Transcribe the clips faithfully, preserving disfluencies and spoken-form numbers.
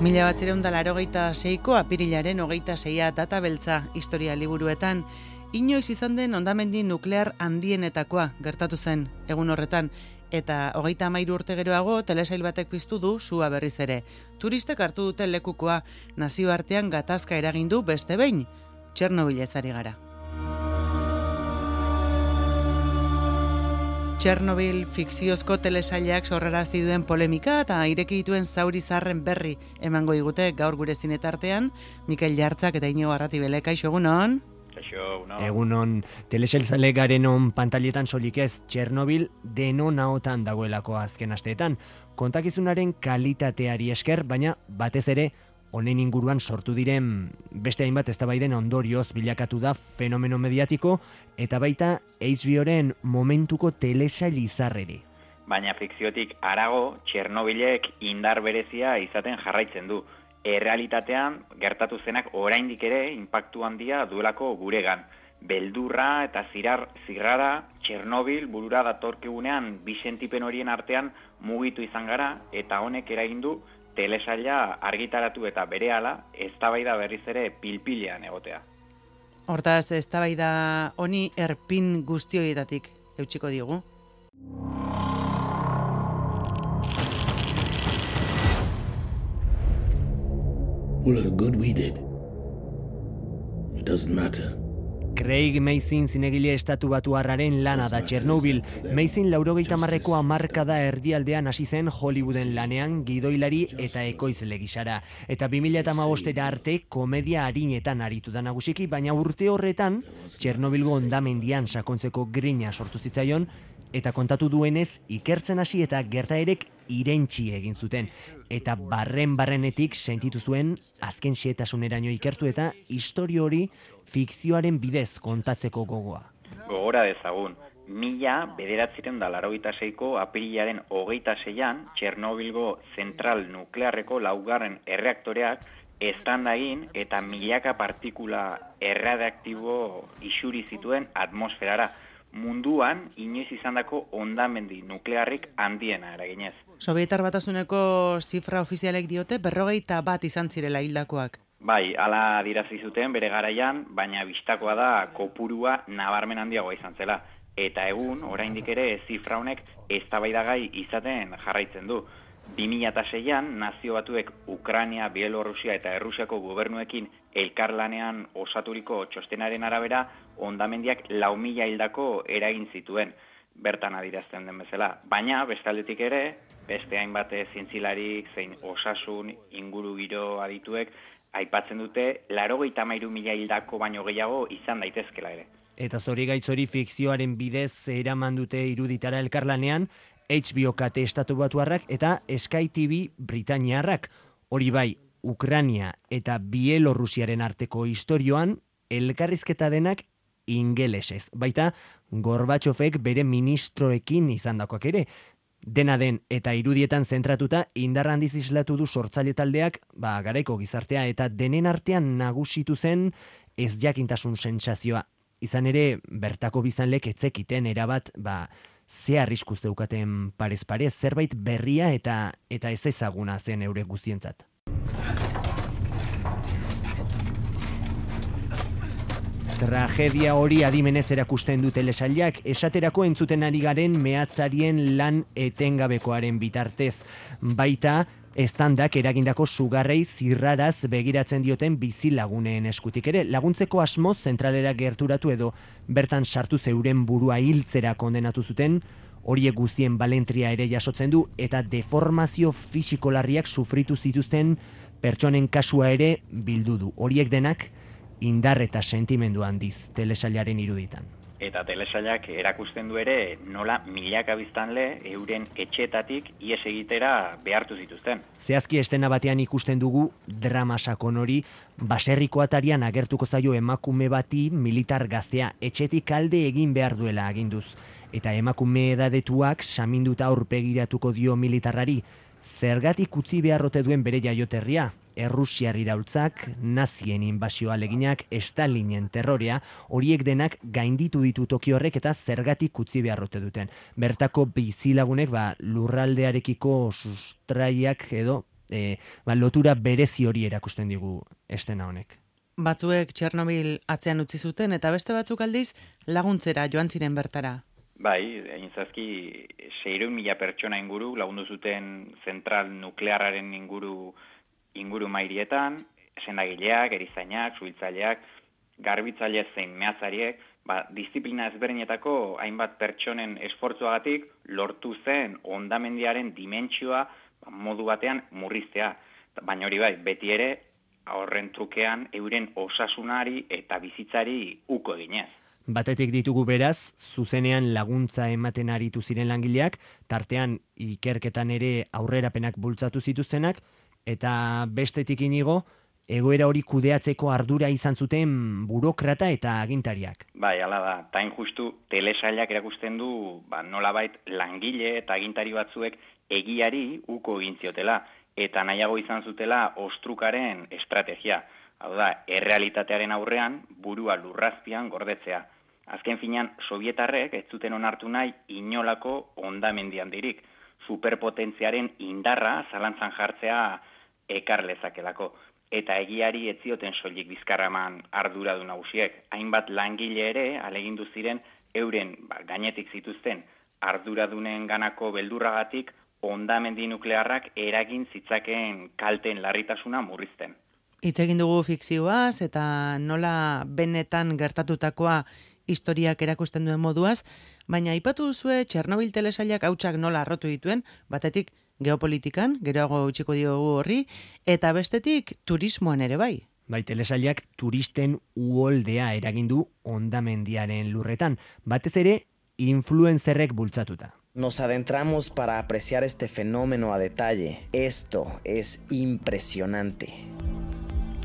Mila batzireun da laurogeita seiko apirilaren hogeita seia data beltza historia liburuetan, inoiz izan den hondamendi nuklear handienetakoa gertatu zen egun horretan, eta hogeita hamairu urte geroago telesail batek piztu du sua berriz ere. Turistek hartu dute lekukoa, nazioartean gatazka eragin du beste behin, Txernobilez ari gara. Txernobil fikziozko telesailak sorrarazi duen polemika eta ireki dituen zauri zarren berri emango digute gaur gure zinetartean, Mikel Jartzak eta Iñigo Arratibele. Kaixo, egunon? Kaixo, no. Egunon, telesail garen on pantailetan solik ez, Txernobil denon ahotan dagoelako azken asteetan. Kontakizunaren kalitateari esker, baina batez ere honen inguruan sortu diren beste hainbat eztabaiden ondorioz bilakatu da fenomeno mediatiko eta baita H B Oren momentuko telesail izarreri. Baina fikziotik harago, Txernobilek indar berezia izaten jarraitzen du. Errealitatean gertatu zenak oraindik ere inpaktu handia duelako guregan. Beldurra eta zirar zirrara Txernobil burura datorkigunean bi sentipen horien artean mugitu izan gara eta honek eragin du telesaila argitaratu eta berehala eztabaida berriz ere pilpilean egotea. Hortaz, eztabaida honi erpin guztioietatik eutsiko digu. All of the good we did. It doesn't matter. Craig Mazin zinegile estatu batuarraren lana da Txernobil. Mazin laurogeita hamarreko hamarkada erdialdean hasi zen Hollywooden lanean gidoilari eta ekoizle gisara. Eta bi mila hamabostera arte komedia arinetan aritu da nagusiki, baina urte horretan Txernobilgo hondamendian sakontzeko grina sortu zitzaion, eta kontatu duenez ikertzen hasi eta gertaerek irentsi egin zuten. Eta barren-barrenetik sentitu zuen azken xehetasuneraino ikertu eta istorio hori fikzioaren bidez kontatzeko gogoa. Gogora dezagun, mila bederatzireun da laurogeita seiko apirilaren hogeita seian Txernobilgo zentral nuklearreko laugarren erreaktoreak eztanda egin eta milaka partikula erradioaktibo isuri zituen atmosferara. Munduan inoiz izandako hondamendi nuklearrik handiena eraginez. Sobietar Batasuneko zifra ofizialek diote berrogeita bat izan zirela hildakoak. Bai, hala adirazi zuten bere garaian, baina bistakoa da kopurua nabarmen handiagoa izan zela. Eta egun, oraindik ere zifra honek eztabaidagai izaten jarraitzen du. bi mila seian nazio batuek Ukraina, Bielorrusia eta Errusiako gobernuekin elkarlanean osaturiko txostenaren arabera hondamendiak lau mila hildako eragin zituen, bertan adirazten den bezala. Baina, bestaldetik ere, beste hainbat zientzilarik zein osasun ingurugiro adituek aipatzen dute laurogeita hamairu mila hildako baino gehiago izan daitezkela ere. Eta zorigaitzori fikzioaren bidez eraman dute iruditara elkarlanean H B O kate estatu batuarrak eta Sky T V Britainiarrak. Hori bai, Ukraina eta Bielorrusiaren arteko istorioan elkarrizketa denak ingelesez. Baita, Gorbatxofek bere ministroekin izandakoak ere. Dena den eta irudietan zentratuta indar handiz islatu du sortzaile taldeak, ba, garaiko gizartea eta denen artean nagusitu zen ez jakintasun sentsazioa. Izan ere, bertako biztanlek etzekiten erabat, ba, ze arrisku zeukaten parez parez, zerbait berria eta eta ez ezaguna zen eure guztientzat. Tragedia hori adimenez erakusten du telesailak, esaterako entzuten ari garen mehatzarien lan etengabekoaren bitartez. Baita, estandak eragindako sugarrei zirraraz begiratzen dioten bizilaguneen eskutik ere, laguntzeko asmoz zentralera gerturatu edo bertan sartu zeuren burua hiltzera kondenatu zuten, horiek guztien balentria ere jasotzen du eta deformazio fisiko larriak sufritu zituzten pertsonen kasua ere bildu du. Horiek denak indar eta sentimendu handiz telesailaren iruditan. Eta telesailak erakusten du ere nola milaka biztanle euren etxeetatik ihes egitera behartu zituzten. Zehazki estena batean ikusten dugu drama sakon hori, baserriko atarian agertuko zaio emakume bati militar gaztea etxetik alde egin behar duela aginduz. Eta emakume edadetuak saminduta aurpegiratuko dio militarrari, zergatik utzi beharrote duen bere jaioterria. Errusiar iraultzak, nazien inbasioa aleginak, Stalinen terrorea, horiek denak gainditu ditu toki horrek eta zergatik utzi beharrote duten. Bertako bizilagunek ba, lurraldearekiko sustraiak edo e, ba, lotura berezi hori erakusten digu estena honek. Batzuek Txernobil atzean utzi zuten eta beste batzuk aldiz laguntzera joan ziren bertara. Bai, egin zazki, seiehun mila pertsona inguru lagundu zuten zentral nuklearraren inguru inguru mairietan, sendagileak, erizainak, suhiltzaileak, garbitzaile zein mehatzariek, ba, disiplina ezberdinetako hainbat pertsonen esfortzuagatik lortu zen hondamendiaren dimentsioa ba, modu batean murriztea. Baina hori bai, beti ere horren trukean euren osasunari eta bizitzari uko eginez. Batetik ditugu beraz, zuzenean laguntza ematen aritu ziren langileak, tartean ikerketan ere aurrerapenak bultzatu zituztenak, eta bestetik inigo, egoera hori kudeatzeko ardura izan zuten burokrata eta agintariak. Bai, hala da, tain justu telesailak erakusten du, ba, nolabait langile eta agintari batzuek egiari uko egin ziotela, eta nahiago izan zutela ostrukaren estrategia. Hau da, errealitatearen aurrean burua lurrazpian gordetzea. Azken finean, sovietarrek ez zuten onartu nahi inolako hondamendi handirik. Superpotentziaren indarra zalantzan jartzea ekar lezakelako. Eta egiari ez zioten soilik bizkarraman arduradu nagusiek. Hainbat langile ere alegindu ziren euren ba, gainetik zituzten arduradunen ganako beldurragatik hondamendi nuklearrak eragin zitzakeen kalteen larritasuna murrizten. Hitz egin dugu fikzioaz eta nola benetan gertatutakoa historiak erakusten duen moduaz, baina aipatu duzue Txernobil telesailak hautsak nola arrotu dituen, batetik geopolitikan, geroago utziko diogu horri, eta bestetik turismoan ere bai. Bai, telesailak turisten uholdea eragindu hondamendiaren lurretan, batez ere influencerrek bultzatuta. Nos adentramos para apreciar este fenómeno a detalle. Esto es impresionante.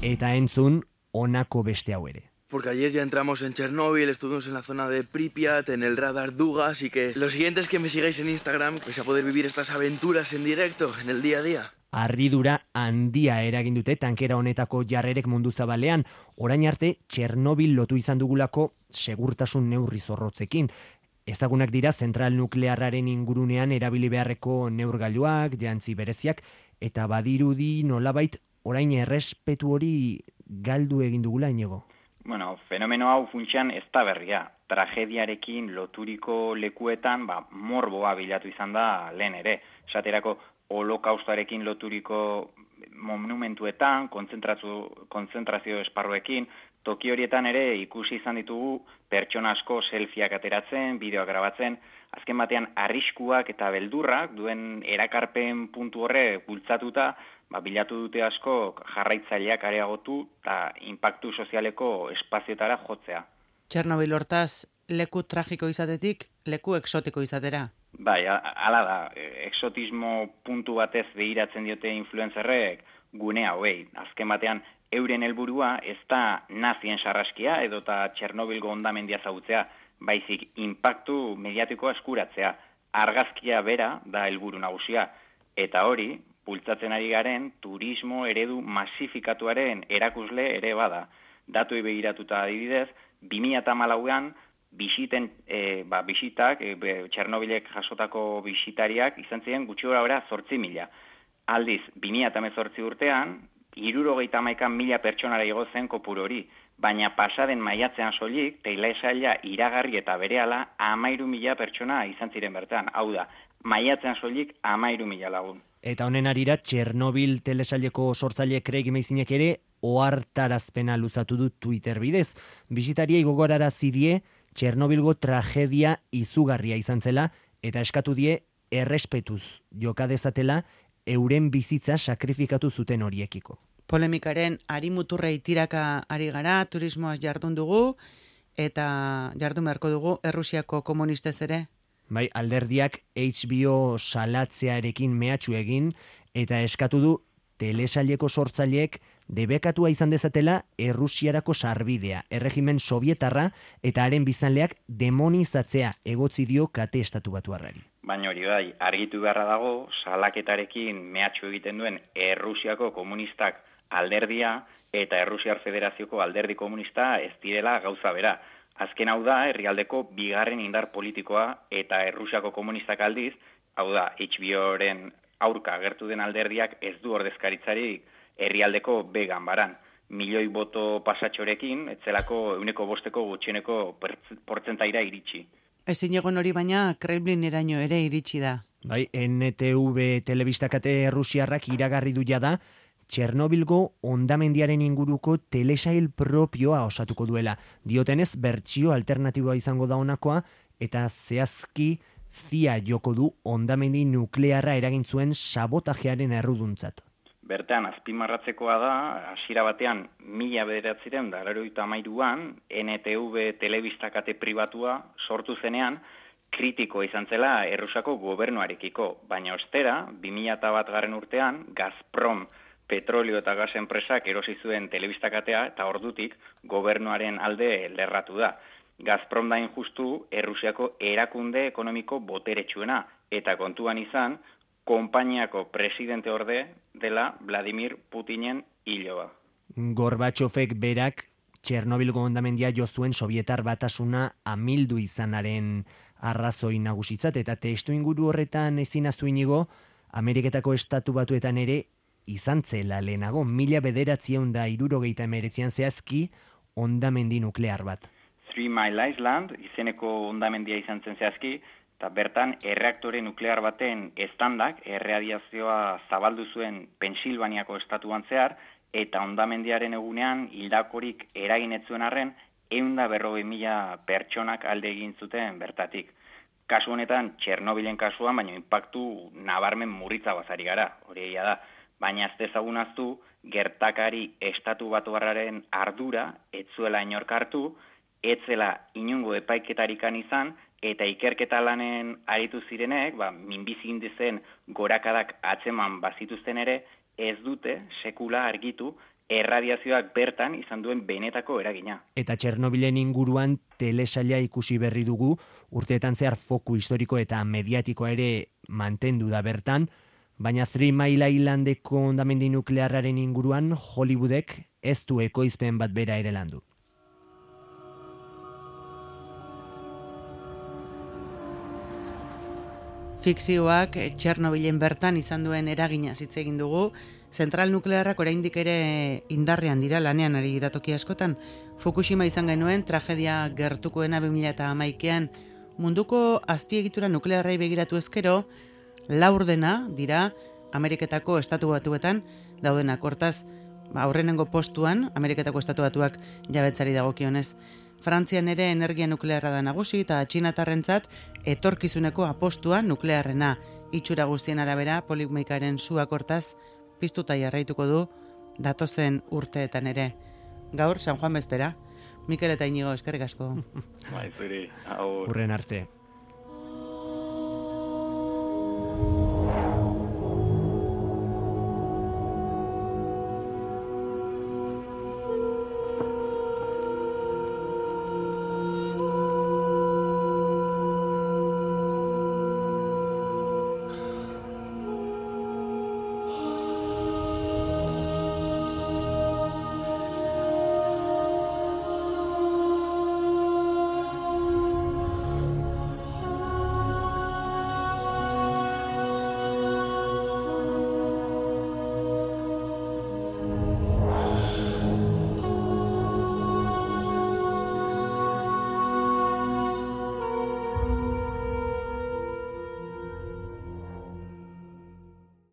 Eta entzun honako beste hau ere. Porque ayer ya entramos en Chernóbil, estuvimos en la zona de Pripyat, en el radar Duga, así que los siguientes que me sigáis en Instagram vais a poder vivir estas aventuras en directo, en el día a día. Harridura handia eragin dute tankera honetako jarrerek mundu zabalean, orain arte Txernobil lotu izan dugulako segurtasun neurri zorrotzekin. Ezagunak dira zentral nuklearraren ingurunean erabili beharreko neurgailuak, jantzi bereziak, eta badirudi nolabait orain errespetu hori galdu egin dugula Iñigo. Bueno, fenomeno hau funtsean ez da berria. Tragediarekin loturiko lekuetan ba, morboa bilatu izan da lehen ere. Esaterako holokaustoarekin loturiko monumentuetan, kontzentrazio, kontzentrazio esparruekin, toki horietan ere ikusi izan ditugu pertsona asko selfieak ateratzen, bideoak grabatzen, azken batean arriskuak eta beldurrak duen erakarpen puntu horre bultzatuta, ba, bilatu dute asko jarraitzaileak areagotu eta inpaktu sozialeko espazioetara jotzea. Txernobil hortaz, leku tragiko izatetik, leku exotiko izatera. Bai, hala da, exotismo puntu batez behiratzen diote influencerrek gune hauei. Azken batean, euren helburua ez da nazien sarraskia edota Txernobilgo hondamendia zautzea, baizik inpaktu mediatikoa eskuratzea. Argazkia bera da helburu nagusia, eta hori, bultzatzen ari garen turismo eredu masifikatuaren erakusle ere bada. Datuei begiratuta adibidez, bi mila hamalauan bisiten, e, ba, bisitak, e, Txernobilek jasotako bisitariak izan ziren gutxi gora bera zortzi mila. Aldiz, bi mila hemezortzi urtean, hirurogeita hamaika mila pertsonara igo zen kopuru hori, baina pasaden maiatzean soilik, telesaila iragarri eta berehala hamairu mila pertsona izan ziren bertan. Hau da, maiatzean soilik hamairu mila lagun. Eta honen arira, Txernobil telesaileko sortzaile Craig Mazinek ere ohartarazpena luzatu du Twitter bidez. Bisitariei gogorarazi die Txernobilgo tragedia izugarria izan zela eta eskatu die errespetuz joka dezatela euren bizitza sakrifikatu zuten horiekiko. Polemikaren arimuturrei tiraka ari gara, turismoaz jardun dugu eta jardun beharko dugu Errusiako komunistez ere. Bai, alderdiak H B O salatzearekin mehatxu egin eta eskatu du telesaileko sortzaileek debekatua izan dezatela Errusiarako sarbidea, erregimen sovietarra eta haren biztanleak demonizatzea egotzi dio kate estatu batuarrari. Baina hori bai, argitu beharra dago, salaketarekin mehatxu egiten duen Errusiako komunistak alderdia eta Errusiar Federazioko alderdi komunista ez direla gauza bera. Azken hau da, herrialdeko bigarren indar politikoa eta Errusiako komunistak aldiz, hau da, H B O-ren aurka agertu den alderdiak ez du ordezkaritzarik herrialdeko B ganbaran. Milioi boto pasatxorekin, etzelako euneko bosteko gutxieneko portzentaira iritsi. Ezin egon hori baina Kremlineraino ere iritsi da. Bai, N T V telebistakate Rusiarrak iragarri du jada, Txernobilgo hondamendiaren inguruko telesail propioa osatuko duela. Diotenez, bertsio alternatiboa izango da honakoa, eta zehazki zia joko du hondamendi nuklearra eragin zuen sabotajearen erruduntzat. Bertan, azpimarratzekoa da, hasiera batean, mila bederatzireun da laurogeita hamairuan, N T V telebistakate pribatua sortu zenean, kritiko izan zela Errusiako gobernuarekiko, baina ostera, bi mila bat garren urtean, Gazprom petrolio eta gas enpresak erosi zuen telebistakatea eta ordutik gobernuaren alde lerratu da. Gazprom da injustu Errusiako erakunde ekonomiko boteretsuena eta kontuan izan, konpainiako presidente orde dela Vladimir Putinen hiloa. Gorbatxofek berak Txernobilgo hondamendia jo zuen Sobietar Batasuna amildu izanaren arrazoi nagusitzat, eta testu inguru horretan ezin ahaztu inigo, Ameriketako Estatu Batuetan ere izan zela lehenago, mila bederatziehun da hirurogeita hemeretzian zehazki hondamendi nuklear bat. Three Mile Island izeneko hondamendia izan zen zehazki, eta bertan erreaktore nuklear baten estandak erradiazioa zabaldu zuen Pensilvaniako estatuan zehar, eta hondamendiaren egunean hildakorik eragin ez zuen arren, ehun eta berrogei mila pertsonak alde egin zuten bertatik. Kasu honetan, Txernobilen kasuan, baina inpaktu nabarmen murritza bazari gara, hori egia da. Baina ez dezagun ahaztu, gertakari estatu batuarraren ardura ez zuela inork hartu, ez zela inongo epaiketarikan izan, eta ikerketa lanen aritu zirenek, ba, minbizi indizen gorakadak atzeman bazituzten ere, ez dute sekula argitu erradiazioak bertan izan duen benetako eragina. Eta Txernobilen inguruan telesaila ikusi berri dugu, urteetan zehar foku historiko eta mediatikoa ere mantendu da bertan, baina Three Mile Islandeko hondamendi nuklearraren inguruan Hollywoodek ez du ekoizpen bat bera ere landu. Fikzioak Txernobilen bertan izan duen eragina hitz egin dugu. Zentral nuklearrak oraindik ere indarrean dira, lanean ari dira toki askotan. Fukushima izan genuen tragedia gertukoena bi mila hamaikaan, munduko azpiegitura nuklearrei begiratu ezkero, laurdena dira Ameriketako Estatu Batuetan daudenak. Hortaz, aurrenengo postuan Ameriketako Estatu Batuak jabetzari dagokionez. Frantzian ere energia nuklearra da nagusi eta txinatarrentzat etorkizuneko apostua nuklearrena. Itxura guztien arabera polikmeikaren suak hortaz piztuta jarraituko du datozen urteetan ere. Gaur San Juan bezpera. Mikel eta Inigo, eskerrik asko. Bai, zuri. Aur. Urren arte.